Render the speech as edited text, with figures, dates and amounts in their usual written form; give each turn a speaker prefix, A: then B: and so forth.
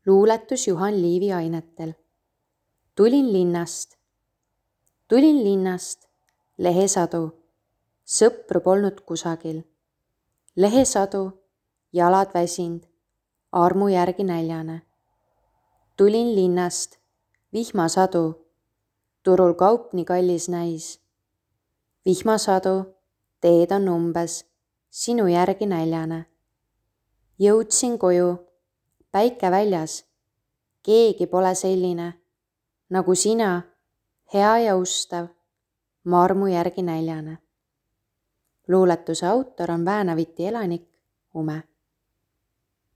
A: luuletus Juhan Liivi ainetel. Tulin linnast, lehesadu, sõpru polnud kusagil. Lehesadu, jalad väsind, armu järgi näljane. Tulin linnast, vihmasadu, turul kaup nii kallis näis. Vihmasadu, teed on umbes, sinu järgi näljane. Jõudsin koju, päike väljas, keegi pole selline, nagu sina, hea ja ustav, ma armu järgi näljane. Luuletuse autor on Väänaviti elanik Ume.